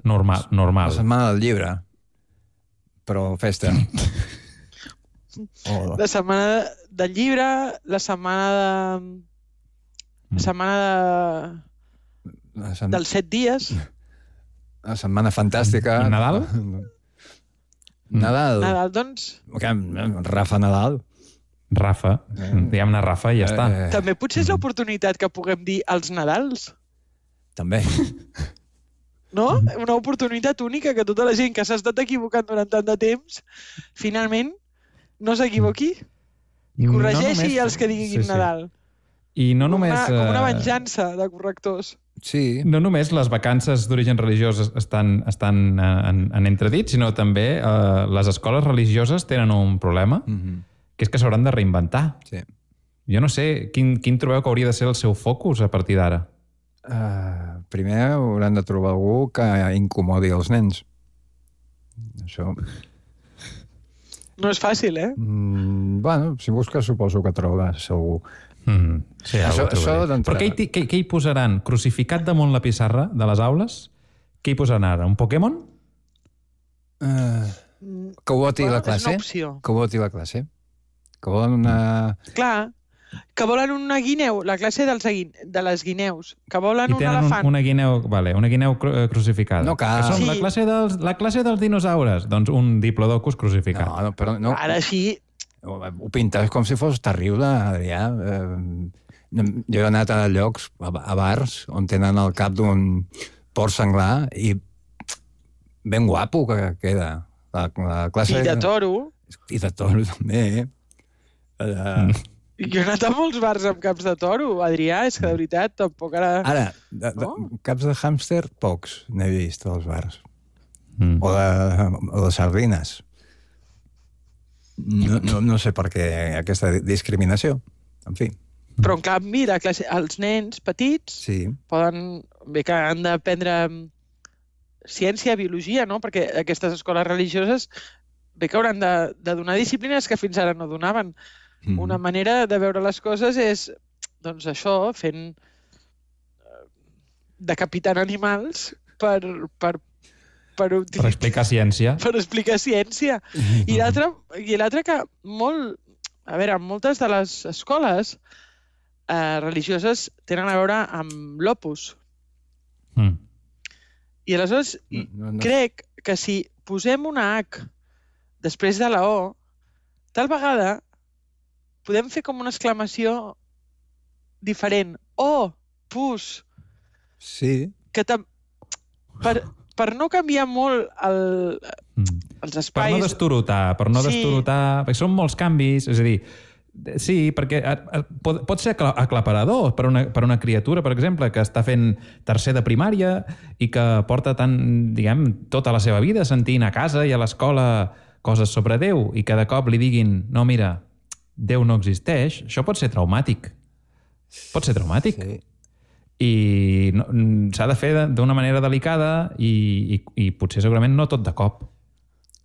normal, normal. La setmana del llibre. Però festa. oh. La setmana del llibre, la setmana de... La setmana de... La set... dels set dies. La setmana fantàstica. I Nadal? Nadal. Nadal, doncs... Rafa Nadal. Rafa. Eh. Diguem-ne Rafa i ja eh. està. També potser és l'oportunitat que puguem dir els Nadals. També. No? Una oportunitat única que tota la gent que s'ha estat equivocant durant tant de temps, finalment, no s'equivoqui i corregeixi no només... els que diguin sí, sí. Nadal. I no només... Com una, com una venjança de correctors. Sí. No només les vacances d'origen religiós estan, estan en, en entredit, sinó també eh, les escoles religioses tenen un problema, mm-hmm. que és que s'hauran de reinventar. Sí. Jo no sé, quin, quin trobeu que hauria de ser el seu focus a partir d'ara? Uh, primer hauran de trobar algú que incomodi els nens. Això... No és fàcil, eh? Mm, bueno, si busques suposo que trobaràs algú. Mm, sí, això, això Però què hi, què, què hi posaran? Crucificat damunt la pissarra de les aules? Què hi posaran ara? Un Pokémon? Uh, que ho voti bueno, la classe. És una opció. Que ho voti la classe. que volen una... Clar, que volen una guineu, la classe dels, de les guineus, que volen I un tenen elefant. Un, una guineu, vale, una guineu cru crucificada. No cal. Que són Sí. la, classe dels, la classe dels dinosaures. Doncs un diplodocus crucificat. No, no, però no... Ara sí... Ho pintes com si fos terrible, Adrià. Eh, jo he anat a llocs, a bars, on tenen el cap d'un porc senglar i ben guapo que queda. La, la classe... I de toro. I de toro, també, eh? Uh... Jo he anat a molts bars amb caps de toro, Adrià, és que de veritat tampoc ara... Ara, de, de, oh? caps de hàmster, pocs n'he vist als bars. Mm. O, de, o de sardines. No, no, no sé per què aquesta discriminació. En fi. Però, en canvi, la classe, els nens petits sí. poden... Bé que han d'aprendre ciència, biologia, no? Perquè aquestes escoles religioses bé que hauran de, de donar disciplines que fins ara no donaven. Mm. Una manera de veure les coses és, doncs això, fent... decapitant animals per... per Per, per explicar ciència. Per explicar ciència. I l'altre i l'altre que molt... A veure, moltes de les escoles eh, religioses tenen a veure amb l'Opus. Mm. I aleshores no, no, no. crec que si posem una H després de la O, tal vegada podem fer com una exclamació diferent. O, pus. Sí. Que tam... per... per no canviar molt el, els espais... Per no destorotar, per no sí. destorotar... Perquè són molts canvis, és a dir, sí, perquè pot, pot ser aclaparador per una, per una criatura, per exemple, que està fent tercer de primària i que porta tant, diguem, tota la seva vida sentint a casa i a l'escola coses sobre Déu i que de cop li diguin, no, mira, Déu no existeix, això pot ser traumàtic. Pot ser traumàtic. Sí. I no, s'ha de fer d'una manera delicada i, i, i potser segurament no tot de cop.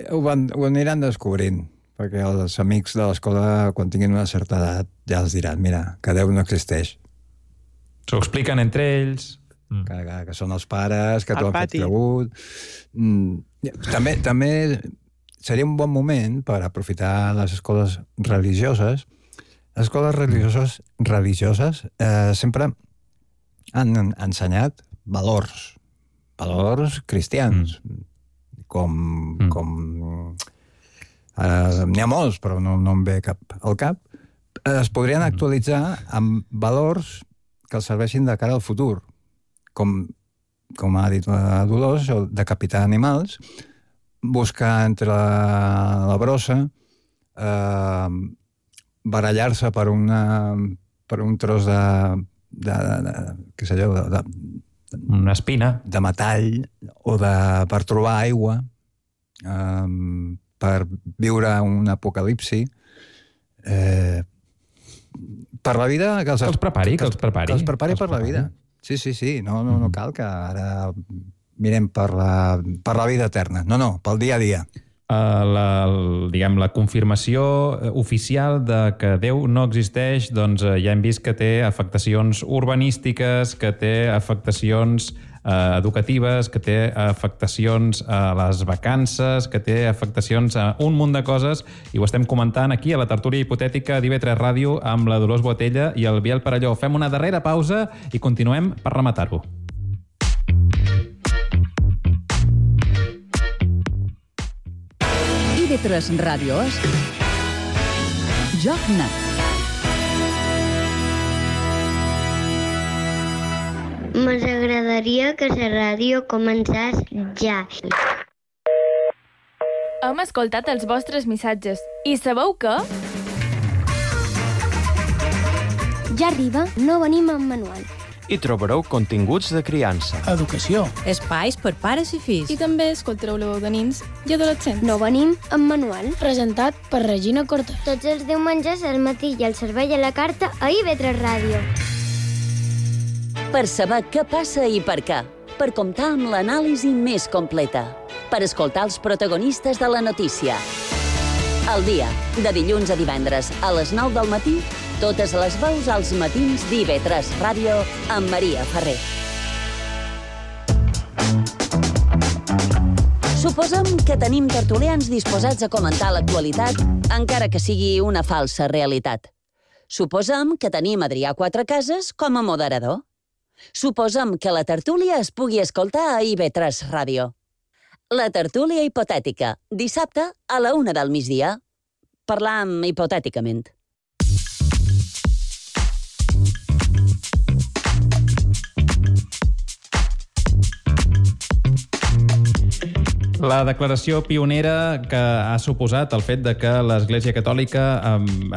Ho, van, ho aniran descobrint, perquè els amics de l'escola, quan tinguin una certa edat, ja els diran, mira, que Déu no existeix. S'ho expliquen entre ells. Mm. Que, que, que són els pares, que t'ho han fet cregut. Mm. També, també seria un bon moment per aprofitar les escoles religioses. Les escoles religioses, religioses eh, sempre... han ensenyat valors, valors cristians, mm. com... Mm. com eh, n'hi ha molts, però no, no em ve cap al cap. Es podrien mm. actualitzar amb valors que els serveixin de cara al futur, com, com ha dit la Dolors, decapitar animals, buscar entre la, la brossa, eh, barallar-se per, una, per un tros de... de, de, de, què sé jo, de, de, una espina de metall o de, per trobar aigua, um, per viure un apocalipsi, eh, per la vida que els, que els prepari, que els prepari, que els prepari per la vida. Sí, sí, sí, no, no, no cal que ara mirem per la, per la vida eterna. No, no, pel dia a dia. Uh, la, el, diguem, la confirmació oficial de que Déu no existeix, doncs uh, ja hem vist que té afectacions urbanístiques, que té afectacions uh, educatives, que té afectacions a les vacances, que té afectacions a un munt de coses, i ho estem comentant aquí a la tertúlia hipotètica d'I V tres Ràdio amb la Dolors Botella i el Biel Parelló. Fem una darrera pausa i continuem per rematar-ho. I V tres Ràdio és Joc Net. M'agradaria que la ràdio començés ja. Hem escoltat els vostres missatges i sabeu què? Ja arriba, no venim amb manual. Hi trobareu continguts de criança, educació, espais per pares i fills. I també escoltareu la veu de nins i adolescents. No venim amb manual. Presentat per Regina Cortés. Tots els diumenges al matí i el servei a la carta a I V tres Ràdio. Per saber què passa i per què. Per comptar amb l'anàlisi més completa. Per escoltar els protagonistes de la notícia. Al dia, de dilluns a divendres, a les nou del matí, totes les veus als matins d'I V tres Ràdio amb Maria Ferrer. Suposem que tenim tertulians disposats a comentar l'actualitat, encara que sigui una falsa realitat. Suposem que tenim Adrià Quatrecases com a moderador. Suposem que la tertúlia es pugui escoltar a I V tres Ràdio. La tertúlia hipotètica, dissabte a la una del migdia. Parlam hipotèticament. La declaració pionera que ha suposat el fet de que l'Església Catòlica,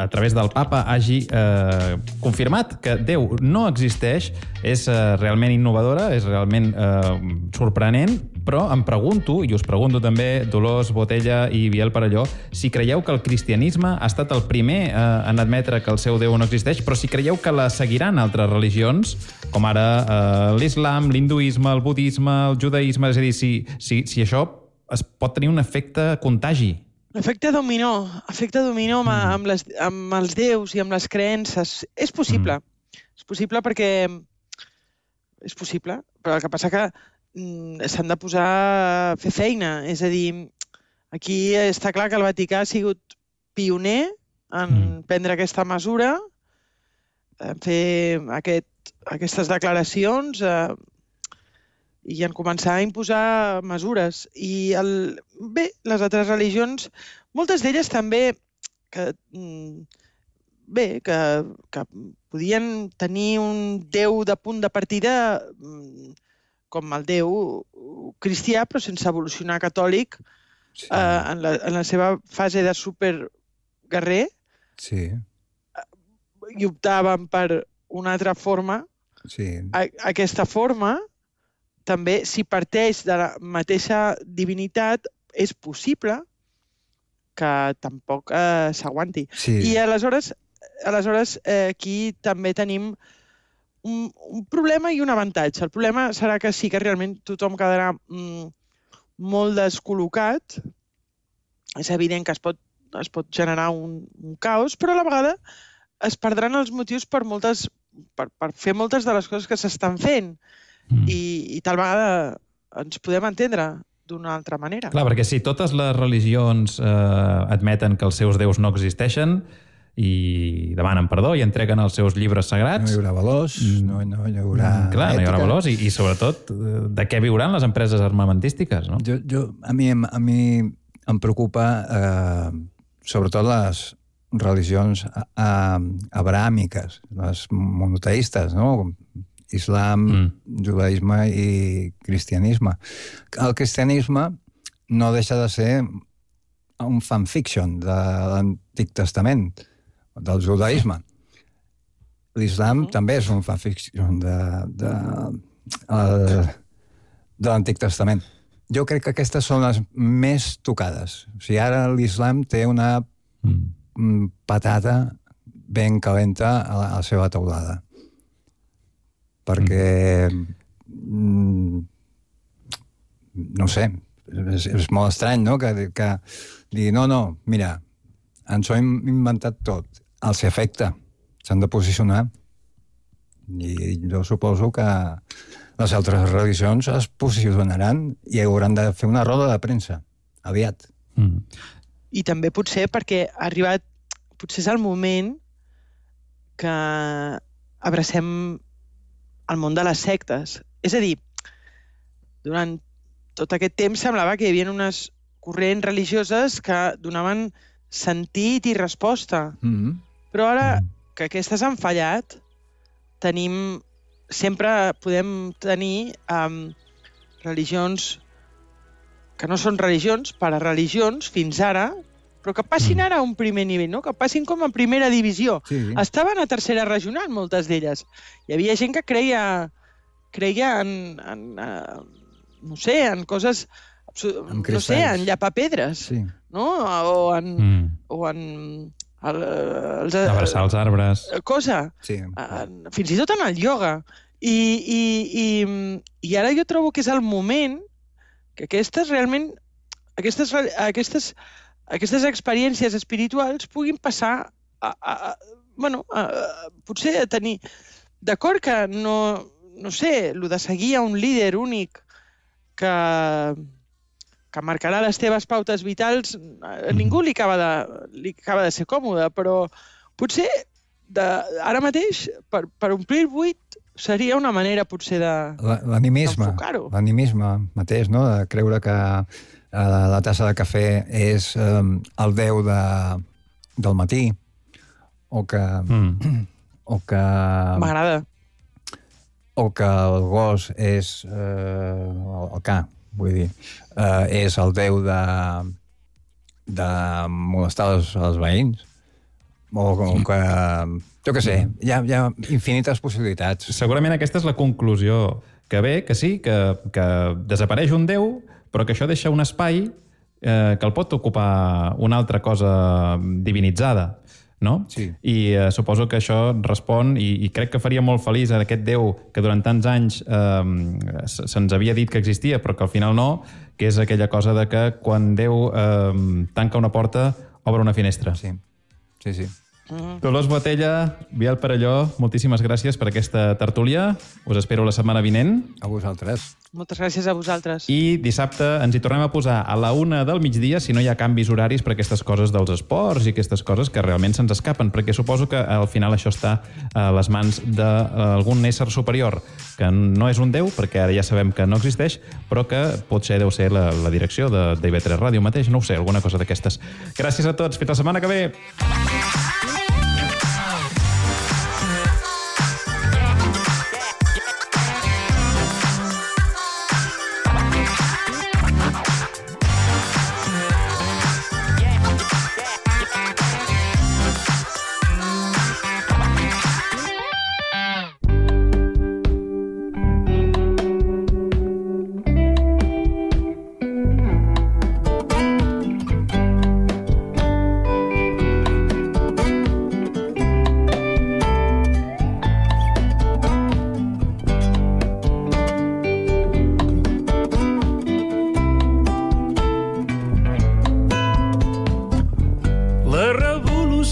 a través del Papa, hagi eh, confirmat que Déu no existeix, és eh, realment innovadora, és realment eh, sorprenent, però em pregunto, i us pregunto també, Dolors Botella i Biel Perelló, si creieu que el cristianisme ha estat el primer eh, en admetre que el seu Déu no existeix, però si creieu que la seguiran altres religions, com ara eh, l'islam, l'hinduisme, el budisme, el judaïsme, és a dir, si, si, si això es pot tenir un efecte contagi. Efecte dominó, efecte dominó amb, amb, les, amb els déus i amb les creences. És possible. Mm. És possible perquè... És possible, però el que passa que mm, s'han de posar a fer feina. És a dir, aquí està clar que el Vaticà ha sigut pioner en mm. prendre aquesta mesura, en fer aquest, aquestes declaracions, eh, i en començar a imposar mesures. I el... bé, les altres religions, moltes d'elles també que, bé, que, que podien tenir un déu de punt de partida com el déu cristià, però sense evolucionar catòlic, sí. eh, en, la, en la seva fase de superguerrer, sí. i optaven per una altra forma. Sí. A, aquesta forma també, si parteix de la mateixa divinitat, és possible que tampoc eh, s'aguanti. Sí. I aleshores, aleshores eh, aquí també tenim un, un problema i un avantatge. El problema serà que sí que realment tothom quedarà mm, molt descol·locat. És evident que es pot, es pot generar un, un caos, però a la vegada es perdran els motius per, moltes, per, per fer moltes de les coses que s'estan fent. Mm. I, i tal vegada ens podem entendre d'una altra manera. Clar, perquè si totes les religions eh, admeten que els seus déus no existeixen i demanen perdó i entreguen els seus llibres sagrats... No hi haurà valors, no, no hi haurà clar, ètica. No hi haurà valors i, i sobretot, de què viuran les empreses armamentístiques, no? Jo, jo, a, mi, a mi em preocupa eh, sobretot les religions eh, abrahàmiques, les monoteistes, no?, islam, mm. judaïsme i cristianisme. El cristianisme no deixa de ser un fanfiction de l'Antic Testament, del judaïsme. L'islam mm. també és un fanfiction de, de, de, de l'Antic Testament. Jo crec que aquestes són les més tocades. O sigui, ara l'islam té una mm. patata ben calenta a la, a la seva teulada. Perquè, mm, no sé, és, és molt estrany, no?, que, que digui, no, no, mira, ens ho hem inventat tot, els afecta, s'han de posicionar. I jo suposo que les altres religions es posicionaran i hauran de fer una roda de premsa, aviat. Mm. I també potser perquè ha arribat, potser és el moment que abracem el món de les sectes. És a dir, durant tot aquest temps semblava que hi havia unes corrents religioses que donaven sentit i resposta. Mm-hmm. Però ara que aquestes han fallat, tenim, sempre podem tenir um, religions que no són religions, parareligions, fins ara, però que passin ara a un primer nivell, no? Que passin com a primera divisió. Sí. Estaven a tercera regional, moltes d'elles. Hi havia gent que creia, creia en, en, en, no sé, en coses, en no sé, en llapar pedres, sí. no? O en... Mm. O en el, els, abraçar els arbres. Cosa. Sí. En, fins i tot en el ioga. I, i, i, I ara jo trobo que és el moment que aquestes realment, aquestes, aquestes aquestes experiències espirituals puguin passar a, a, a, bueno, a, a, potser a tenir... D'acord que no, no sé, el de seguir a un líder únic que, que marcarà les teves pautes vitals, a ningú li acaba de, li acaba de ser còmode, però potser de, ara mateix, per, per omplir el buit, seria una manera potser de, l'animisme, d'enfocar-ho. L'animisme mateix, no? De creure que eh, la tassa de cafè és eh, el déu de, del matí, o que... Mm. o que... M'agrada. O que el gos és eh, el, el ca, vull dir, eh, és el déu de, de molestar els, els veïns, o, o que, jo què sé, hi ha, hi ha infinites possibilitats. Segurament aquesta és la conclusió que ve, que sí, que, que desapareix un déu, però que això deixa un espai eh, que el pot ocupar una altra cosa divinitzada. No? Sí. I eh, suposo que això respon, i, i crec que faria molt feliç a aquest Déu que durant tants anys eh, se'ns havia dit que existia, però que al final no, que és aquella cosa de que quan Déu eh, tanca una porta, obre una finestra. Sí, sí, sí. Mm. Dolors Botella, Biel Perelló, moltíssimes gràcies per aquesta tertúlia. Us espero la setmana vinent. A vosaltres. Moltes gràcies a vosaltres. I dissabte ens hi tornem a posar a la una del migdia, si no hi ha canvis horaris per aquestes coses dels esports i aquestes coses que realment se'ns escapen, perquè suposo que al final això està a les mans d'algun ésser superior, que no és un déu, perquè ara ja sabem que no existeix, però que potser deu ser la, la direcció de, de I V tres Ràdio mateix, no ho sé, alguna cosa d'aquestes. Gràcies a tots, fins la setmana que ve!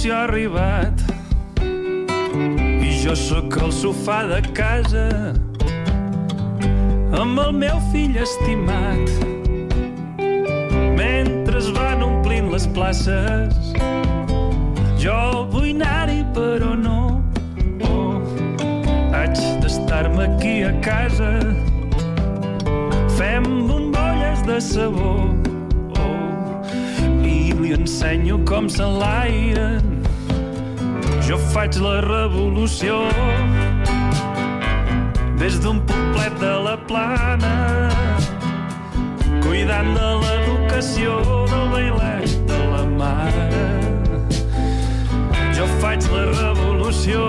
ha arribat i jo sóc al sofà de casa amb el meu fill estimat. Mentre es van omplint les places, jo vull anar-hi però no. Oh, haig d'estar-me aquí a casa. Fem bombolles de sabó, oh, i li ensenyo com s'enlairen. Jo faig la revolució des d'un poblet de la Plana, cuidant de l'educació del bailet de la mare. Jo faig la revolució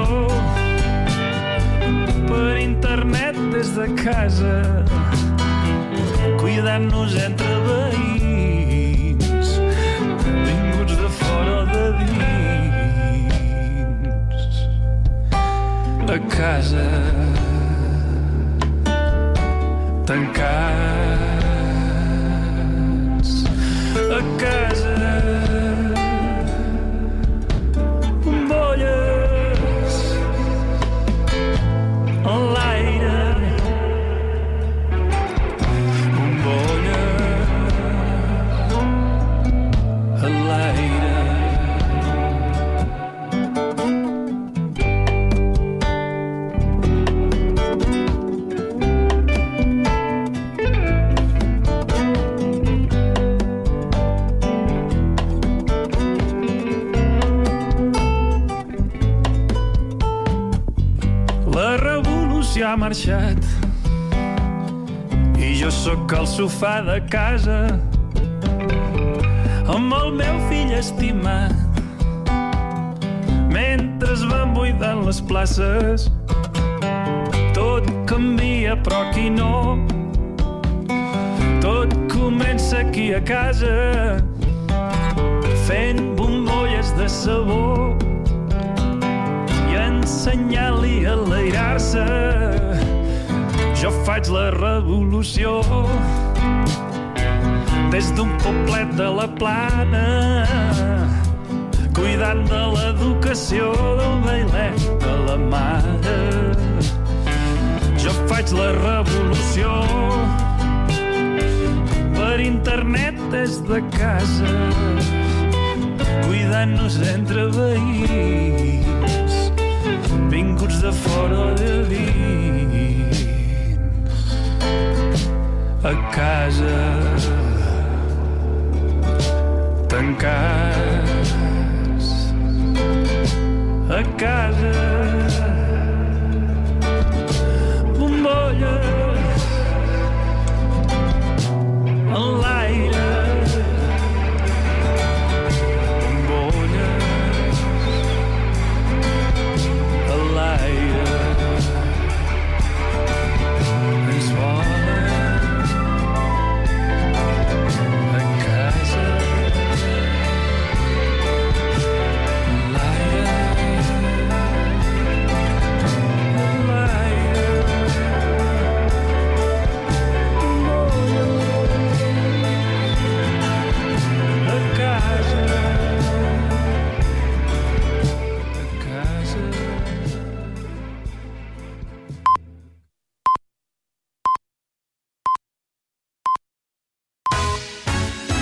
per internet des de casa, cuidant-nos entre veïns, vinguts de fora o de dins. A casa, tancats, a casa, bombolles en l'aire, bombolles en l'aire. Ha marxat i jo sóc al sofà de casa amb el meu fill estimat. Mentre es van buidant les places, tot canvia però aquí no. Tot comença aquí a casa, fent bombolles de sabó i ensenyant-li a enlairar-se. Jo faig la revolució des d'un poblet de la Plana, cuidant de l'educació del bailet de la mare. Jo faig la revolució per internet des de casa, cuidant-nos entre veïns, vinguts de fora o de dins, a casa, tancats, a casa.